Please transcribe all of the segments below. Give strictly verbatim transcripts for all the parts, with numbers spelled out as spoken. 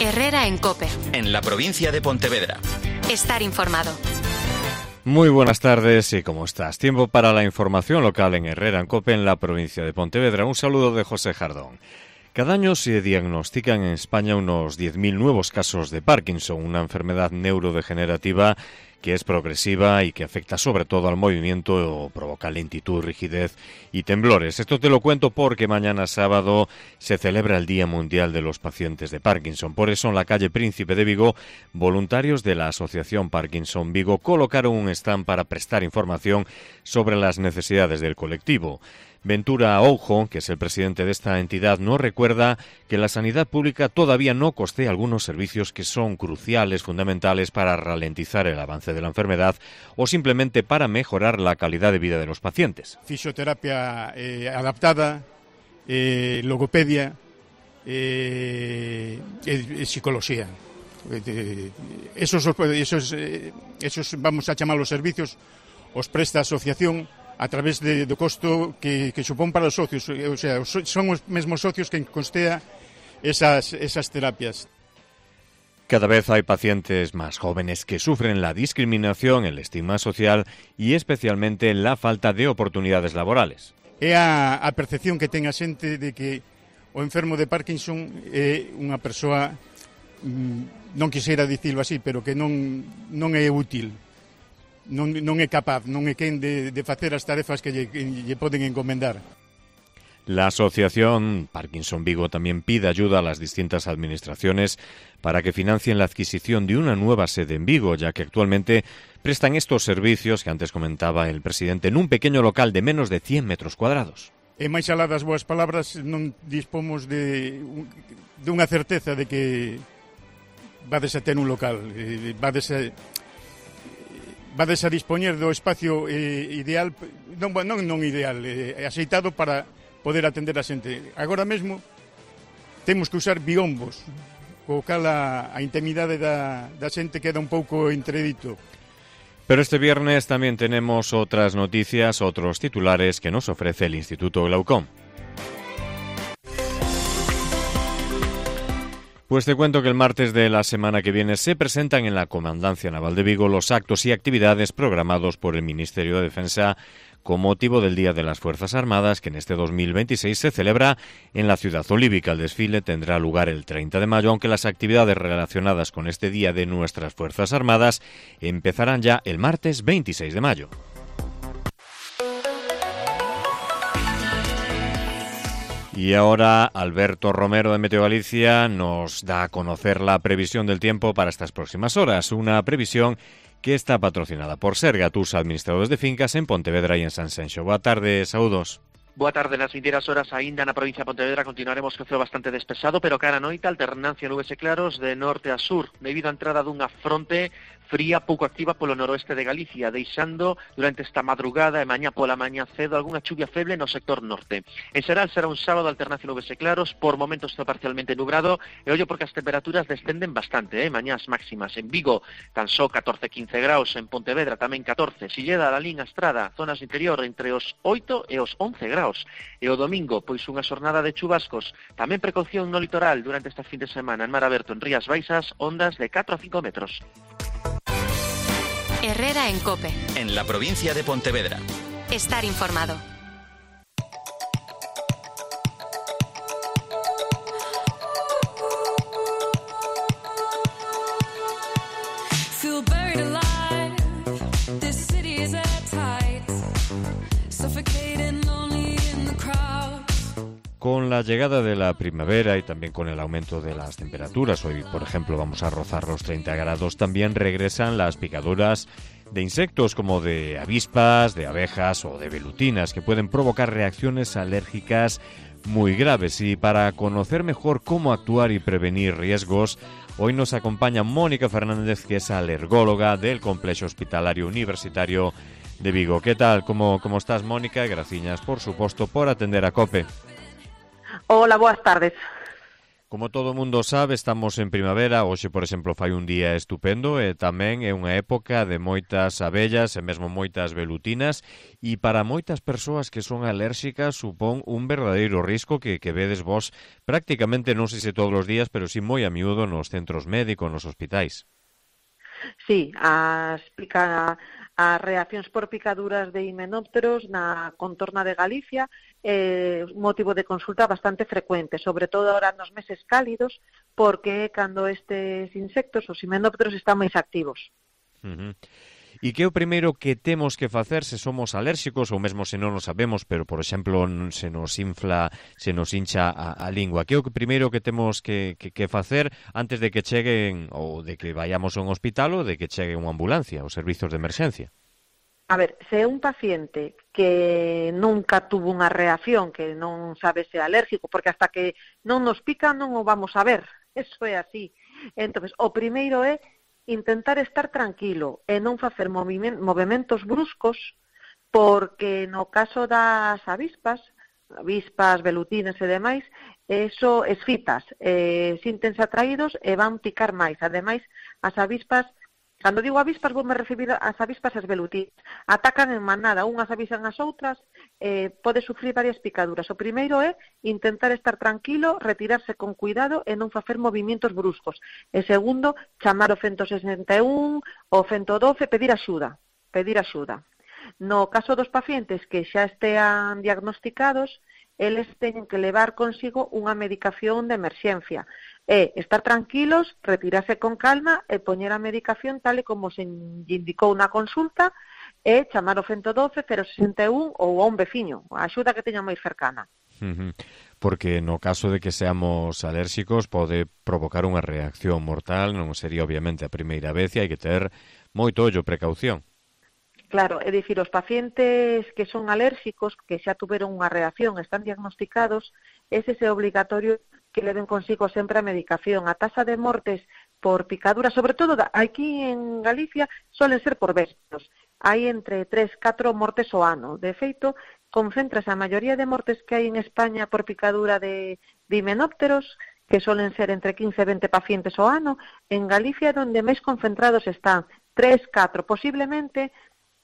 Herrera en COPE. En la provincia de Pontevedra. Estar informado. Muy buenas tardes y ¿cómo estás? Tiempo para la información local en Herrera en COPE en la provincia de Pontevedra. Un saludo de José Jardón. Cada año se diagnostican en España unos diez mil nuevos casos de Parkinson, una enfermedad neurodegenerativa que es progresiva y que afecta sobre todo al movimiento o provoca lentitud, rigidez y temblores. Esto te lo cuento porque mañana sábado se celebra el Día Mundial de los Pacientes de Parkinson. Por eso en la calle Príncipe de Vigo, voluntarios de la Asociación Parkinson Vigo colocaron un stand para prestar información sobre las necesidades del colectivo. Ventura Oujo, que es el presidente de esta entidad, nos recuerda que la sanidad pública todavía no costea algunos servicios que son cruciales, fundamentales para ralentizar el avance de la enfermedad o simplemente para mejorar la calidad de vida de los pacientes. Fisioterapia eh, adaptada, eh, logopedia, eh, eh, psicología. Eh, esos, esos, eh, esos, vamos a chamar los servicios, os presta a asociación a través de, do costo que, que supón para os socios, o sea, son os mesmos socios que costea esas, esas terapias. Cada vez hay pacientes más jóvenes que sufren la discriminación, el estigma social y especialmente la falta de oportunidades laborales. É a, a percepción que ten a xente de que o enfermo de Parkinson é unha persoa, non quixera dicilo así, pero que non, non é útil. Non, non é capaz, non é quen de, de facer as tarefas que lle, que lle poden encomendar. La Asociación Parkinson Vigo también pide ayuda a las distintas administraciones para que financien la adquisición de una nueva sede en Vigo, ya que actualmente prestan estos servicios que antes comentaba el presidente en un pequeño local de menos de cien metros cuadrados. E máis alá das boas palabras, non dispomos de, de unha certeza de que vades a ter un local, vades a... vades a dispoñer do espacio eh, ideal, non, non, non ideal, eh, aceitado para poder atender a xente. Agora mesmo temos que usar biombos, co cal a, a intimidade da, da xente queda un pouco entredito. Pero este viernes también tenemos otras noticias, otros titulares que nos ofrece el Instituto Glaucom. Pues te cuento que el martes de la semana que viene se presentan en la Comandancia Naval de Vigo los actos y actividades programados por el Ministerio de Defensa con motivo del Día de las Fuerzas Armadas, que en este dos mil veintiséis se celebra en la ciudad olívica. El desfile tendrá lugar el treinta de mayo, aunque las actividades relacionadas con este Día de nuestras Fuerzas Armadas empezarán ya el martes veintiséis de mayo. Y ahora Alberto Romero de Meteo Galicia nos da a conocer la previsión del tiempo para estas próximas horas. Una previsión que está patrocinada por Sergatus, administradores de fincas en Pontevedra y en Sanxenxo. Boa tarde, saúdos. Boa tarde, nas vindeiras horas aínda na provincia de Pontevedra continuaremos co ceo bastante despexado, pero cara a noite alternancia nubes e claros de norte a sur, debido á entrada dunha fronte fría pouco activa polo noroeste de Galicia, deixando durante esta madrugada e mañá pola mañá cedo algunha chuvia feble no sector norte. En xeral será un sábado alternancia nubes e claros, por momentos está parcialmente nublado, e ollo porque as temperaturas descenden bastante, eh? Mañás máximas en Vigo tan só catorce a quince graus, en Pontevedra tamén catorce, Silleda, Lalín, Estrada, zonas interior entre os oito e os once graus. E o domingo, pois unha xornada de chubascos, tamén precaución no litoral durante esta fin de semana, en mar aberto en Rías Baixas, ondas de catro a cinco metros. Herrera en COPE. En la provincia de Pontevedra. Estar informado. Con la llegada de la primavera y también con el aumento de las temperaturas, hoy por ejemplo vamos a rozar los treinta grados, también regresan las picaduras de insectos como de avispas, de abejas o de velutinas que pueden provocar reacciones alérgicas muy graves. Y para conocer mejor cómo actuar y prevenir riesgos, hoy nos acompaña Mónica Fernández, que es alergóloga del Complejo Hospitalario Universitario de Vigo. ¿Qué tal? ¿Cómo, cómo estás, Mónica? Graciñas, por suposto, por atender a COPE. Hola, boas tardes. Como todo o mundo sabe, estamos en primavera, hoxe, por exemplo, fai un día estupendo e tamén é unha época de moitas abellas e mesmo moitas velutinas e para moitas persoas que son alérxicas supón un verdadeiro risco que, que vedes vos prácticamente, non sei se todos os días, pero sí moi a miúdo nos centros médicos, nos hospitais. Sí, as, pica, as reaccións por picaduras de himenópteros na contorna de Galicia é un motivo de consulta bastante frecuente, sobre todo ahora nos meses cálidos, porque cando estes insectos, os himenópteros, están máis activos. Uh-huh. E que é o primeiro que temos que facer se somos alérxicos ou mesmo se non o sabemos, pero, por exemplo, se nos infla, se nos hincha a, a lingua? Que é o primeiro que temos que, que, que facer antes de que cheguen ou de que vayamos a un hospital ou de que chegue unha ambulancia, os servizos de emerxencia? A ver, se é un paciente que nunca tuvo unha reacción, que non sabe se é alérxico, porque hasta que non nos pica non o vamos a ver, eso é así. Entón, o primeiro é intentar estar tranquilo e non facer movimentos bruscos, porque no caso das avispas, avispas, velutinas e demais, eso esfitas, eh, sintense atraídos e van picar máis. Ademais, as avispas, cando digo avispas, vou me referir ás avispas e as velutinas, atacan en manada, unhas avisan as outras, eh, pode sufrir varias picaduras. O primeiro é intentar estar tranquilo, retirarse con cuidado e non facer movimentos bruscos. E segundo, chamar o ciento sesenta e un, o ciento doce, pedir axuda, pedir axuda. No caso dos pacientes que xa estean diagnosticados, eles teñen que levar consigo unha medicación de emerxencia. É estar tranquilos, retirarse con calma e poñer a medicación tal e como se indicou na consulta e chamar o ciento doce, cero sesenta e un ou a un veciño, a axuda que teña máis cercana. Uh-huh. Porque no caso de que seamos alérxicos pode provocar unha reacción mortal, non sería obviamente a primeira vez e hai que ter moito ollo, precaución. Claro, é dicir, os pacientes que son alérxicos, que xa tuveron unha reacción, están diagnosticados, ese é obligatorio que leven consigo sempre a medicación. A taxa de mortes por picadura, sobre todo aquí en Galicia, solen ser por véspidos. Hai entre tres a catro mortes ao ano. De feito, concéntrase a maioría de mortes que hai en España por picadura de, de himenópteros, que solen ser entre quince e vinte pacientes ao ano, en Galicia onde máis concentrados están tres a catro, posiblemente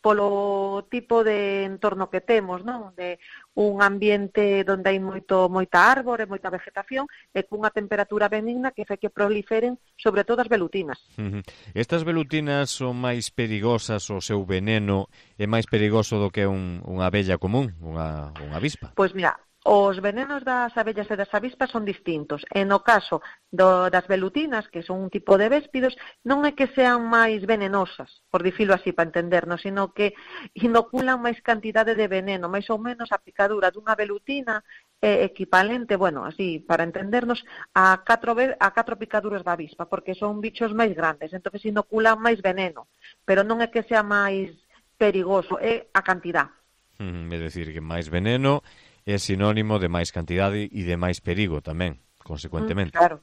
polo tipo de entorno que temos, non? De un ambiente onde hai moito moita árbore, moita vegetación e cunha temperatura benigna que fai que proliferen sobre todo as velutinas. Uh-huh. Estas velutinas son máis perigosas, o seu veneno é máis perigoso do que un, unha abella común, unha, unha avispa? Pois mira, os venenos das abellas e das avispas son distintos. E no caso do, das velutinas, que son un tipo de véspidos, non é que sean máis venenosas, por dicilo así para entendernos, sino que inoculan máis cantidade de veneno, máis ou menos a picadura dunha velutina é equivalente, bueno, así para entendernos, a catro, a catro picaduras da avispa, porque son bichos máis grandes, entonces inoculan máis veneno, pero non é que sea máis perigoso, é a cantidad. Mm, é dicir, que máis veneno é sinónimo de máis cantidade e de máis perigo tamén, consecuentemente. Mm, claro.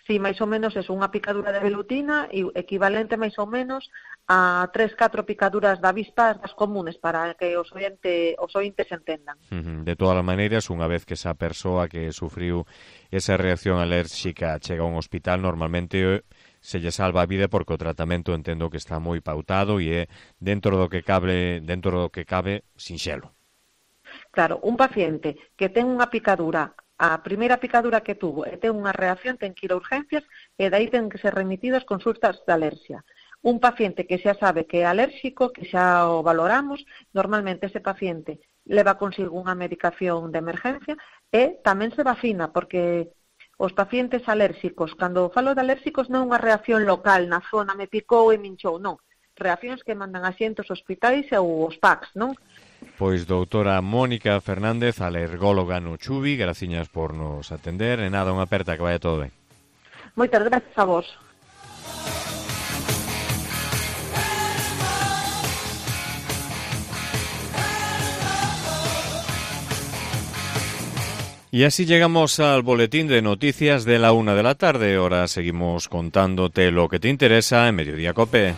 Sí, máis ou menos é unha picadura de velutina e equivalente máis ou menos a tres a catro picaduras de avispas das comunes para que os ointe, os ointes entendan. Uh-huh. De todas as maneiras, unha vez que esa persoa que sufriu esa reacción alérxica chega a un hospital, normalmente se lle salva a vida porque o tratamento entendo que está moi pautado e é dentro do que cabe, dentro do que cabe sinxelo. Claro, un paciente que ten unha picadura, a primeira picadura que tuvo e ten unha reacción, ten que ir a urgencias e daí ten que ser remitido as consultas de alerxia. Un paciente que xa sabe que é alérxico, que xa o valoramos, normalmente ese paciente leva consigo unha medicación de emergencia e tamén se vacina, porque os pacientes alérxicos, cando falo de alérxicos non é unha reacción local na zona, me picou e me hinchou, non. Reaccións que mandan a xente aos hospitais ou os P A Cs, non? Pois doutora Mónica Fernández, alergóloga no Chubi, graciñas por nos atender. E nada, unha aperta, que vaya todo ben. Moitas gracias a vos. Y así llegamos al boletín de noticias de la una de la tarde. Ahora seguimos contándote lo que te interesa en Mediodía Cope.